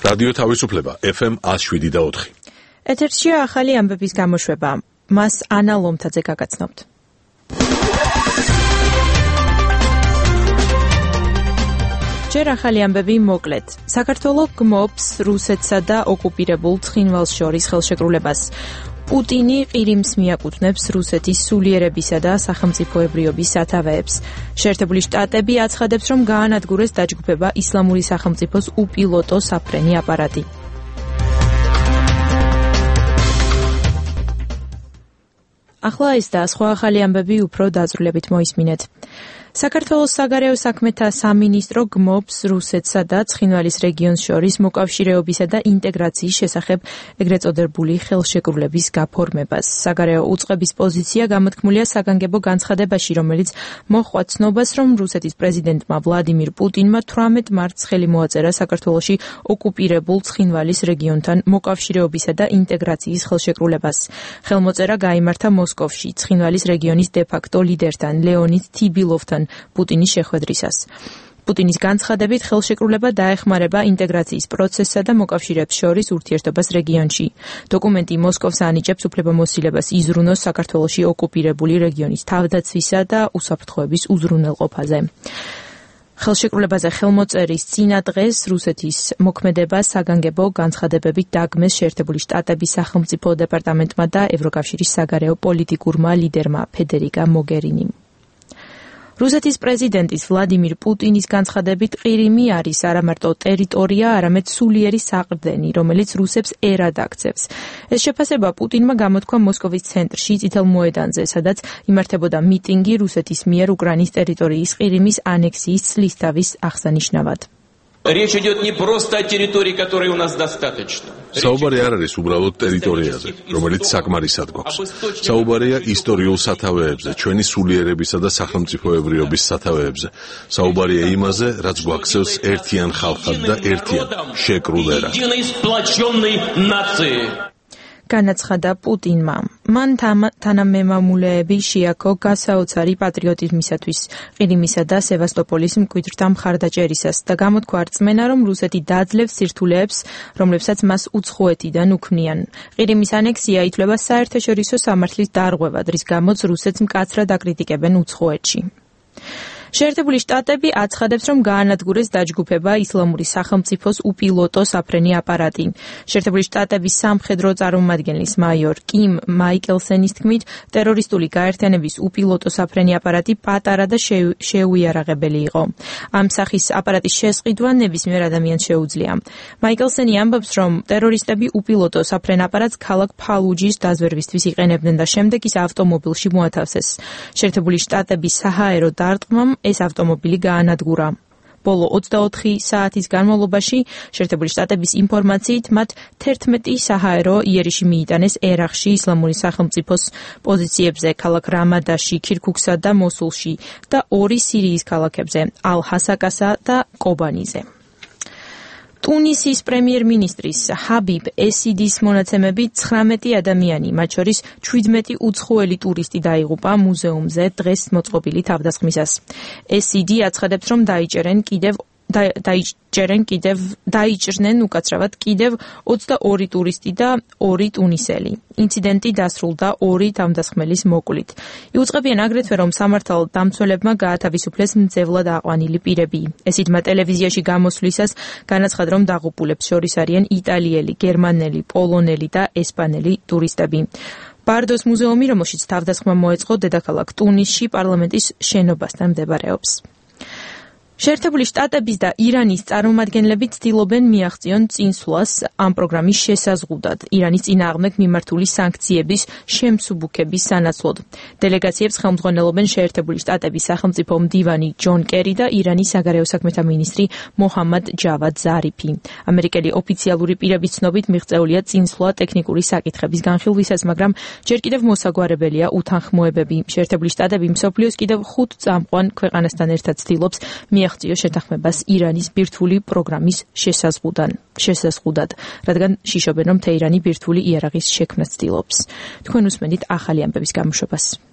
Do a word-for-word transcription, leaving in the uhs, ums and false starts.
რადიო თავისუფლება ეფ ემ one oh seven და four. ეთერშია ახალი ამბების გამოშვება. მას ანა ლომთაძე გაგაცნობთ. ჯერ ახალი ამბები მოკლედ. საქართველო გმობს რუსეთსა და ოკუპირებულ ცხინვალს შორის ხელშეკრულებას. პუტინი ყირიმს მიაკუთვნებს რუსეთის სულიერებისა და სახელმწიფოებრიობის სათავეებს. შეერთებული შტატები აცხადებს, რომ გაანადგურეს დაჯგუფება ისლამური სახელმწიფოს უპილოტო საფრენი აპარატი. ახლა ეს და სხვა ახალი ამბები უფრო დაწვრილებით მოისმინეთ. საქართველოს საგარეო საქმეთა სამინისტრო გმობს რუსეთსა და ცხინვალის რეგიონს შორის მოკავშირეობისა და ინტეგრაციის შესახებ ეგრეთ წოდებული ხელშეკრულების გაფორმებას. საგარეო უწყების პოზიცია გამოთქმულია საგანგებო განცხადებაში, რომელიც მოჰყვა ცნობას, რომ რუსეთის პრეზიდენტმა ვლადიმირ პუტინმა თვრამეტ მარტს ხელი მოაწერა საქართველოში ოკუპირებულ ცხინვალის რეგიონთან მოკავშირეობისა და ინტეგრაციის ხელშეკრულებას. ხელმოწერა გაიმართა მოსკოვში, ცხინვალის რეგიონის დე-ფაქტო ლიდერთან ლეონიდ თიბილოვთან პუტინის შეხვედრისას. პუტინის განცხადებით ხელშეკრულება დაეხმარება ინტეგრაციის პროცესსა და მოკავშირეებს შორის ურთიერთობას რეგიონში. დოკუმენტი მოსკოვს ანიჭებს უფლებამოსილებას იზრუნოს საქართველოში ოკუპირებული რეგიონის თავდაცვისა და უსაფრთხოების უზრუნველყოფაზე. ხელშეკრულებაზე ხელმოწერის წინა დღეს რუსეთის მოქმედება საგანგებო განცხადებებით დაგმეს შეერთებული შტატების სახელმწიფო დეპარტამენტმა და ევროკავშირის საგარეო პოლიტიკურმა ლიდერმა ფედერიკა მოგერინიმ. რუსეთის პრეზიდენტის ვლადიმირ პუტინის განცხადებით ყირიმი არის არა მარტო ტერიტორია, არამედ სულიერი საყრდენი, რომელიც რუსებს ერად აქცევს. ეს შეფასება პუტინმა გამოთქვა მოსკოვის ცენტრში წითელ მოედანზე, სადაც იმართებოდა მიტინგი რუსეთის მიერ უკრაინის ტერიტორიის ყირიმის ანექსიის ცლისთავის აღსანიშნავად. Речь идет не просто о территории, которой у нас достаточно. საუბარი არ არის უბრალოდ ტერიტორიაზე, რომელიც საკმარისად გვაქვს. საუბარია ისტორიულ სათავეებზე, ჩვენი სულიერებისა და სახელმწიფოებრიობის სათავეებზე. საუბარია იმაზე, რაც გვაქცევს ერთიან ხალხად და ერთიან შეკრულ ერად. განაცხადა პუტინმა. მან თანამემამულეები შეაქო გასაოცარი პატრიოტიზმისათვის ყირიმისა და სევასტოპოლის მკვიდრთა მხარდაჭერისას და გამოთქვა რწმენა, რომ რუსეთი დაძლევს სირთულეებს, რომლებსაც მას უცხოეთიდან უქმნიან. ყირიმის ანექსია ითვლება საერთაშორისო სამართლის დარღვევად, რის გამოც რუსეთს მკაცრად აკრიტიკებენ უცხოეთში. შეერთებული შტატები აცხადებს, რომ გაანადგურეს დაჯგუფება ისლამური სახელმწიფოს უპილოტო საფრენი აპარატი. შეერთებული შტატების სამხედრო წარმომადგენლის მაიორ კიმ მაიკელსენის თქმით, ტერორისტული გაერთიანების უპილოტო საფრენი აპარატი პატარა და შეუიარაღებელი იყო. ამ სახის აპარატის შესყიდვა ნებისმიერ ადამიანს შეუძლია. მაიკელსენი ამბობს, რომ ტერორისტები უპილოტო საფრენ აპარატს ქალაქ ფალუჯის დაზვერვისთვის იყენებდნენ და შემდეგ ის ავტომობილში მოათავსეს. შეერთებული შტატების საჰაერო დარტყმამ ეს ავტომობილი გაანადგურა. ბოლო ოცდაოთხი საათის განმავლობაში შეერთებული შტატების ინფორმაციით მათ თერთმეტი საჰაერო იერიში მიიტანეს ერახში ისლამური სახელმწიფოს პოზიციებზე, ქალაქ რამადაში, ქირქუქსა და მოსულში და ორი სირიის ქალაქებზე, ალ-ჰასაკასა და კობანიზე. ტუნისის პრემიერ-მინისტრის ჰაბიბ ესიდის მონაცემებით ცხრამეტი ადამიანი, მათ შორის შვიდმეტი უცხოელი ტურისტი დაიღუპა მუზეუმზე დღეს მოწყობილი თავდასხმისას. ესიდი აცხადებს, რომ დაიჭერენ კიდევ დაიჭერენ კიდევ დაიჭრნენ უკაცრავად კიდევ ოცდაორი ტურისტი და ორი ტუნისელი. ინციდენტი დასრულდა ორი თავდასხმელის მოკლით. იუწყებიან აგრეთვე, რომ სამართალ დამცველებმა გაათავისუფლეს მძევლად აყვანილი პირები. ესიდმა ტელევიზიაში გამოსვლისას განაცხადა, რომ დაღუპულებს შორის არიან იტალიელი, გერმანელი, პოლონელი და ესპანელი ტურისტები. ბარდოს მუზეუმი, რომელშიც თავდასხმა მოეწყო დედაქალაქ ტუნისში, პარლამენტის შენობასთან მდებარეობს. შეერთებული შტატების და ირანის წარმომადგენლები ცდილობენ მიაღწიონ წინსვლას ამ პროგრამის შესაზღუდად, ირანის წინააღმდეგ მიმართული სანქციების შემსუბუქების სანაცვლოდ. დელეგაციებს ხელმძღვანელობენ შეერთებული შტატების სახელმწიფო მდივანი ჯონ კერი და ირანის საგარეო საქმეთა მინისტრი მოჰამად ჯავად ზარიფი. ამერიკელი ოფიციალური პირების ცნობით მიღწეულია წინსვლა ტექნიკური საკითხების განხილვისას, მაგრამ ჯერ კიდევ მოსაგვარებელია უთანხმოებები. შეერთებული შტატები მსოფლიოს კიდევ ხუთ წამყვან ქვეყანასთან ერთად ცდილობს მიაღწიოს შეთანხმებას ირანის ბირთვული პროგრამის შესაზღუდად, რადგან შიშობენ, რომ თეირანი ბირთვული იარაღის შექმნას ცდილობს. თქვენ უსმენთ ახალი ამბების გამოშვებას.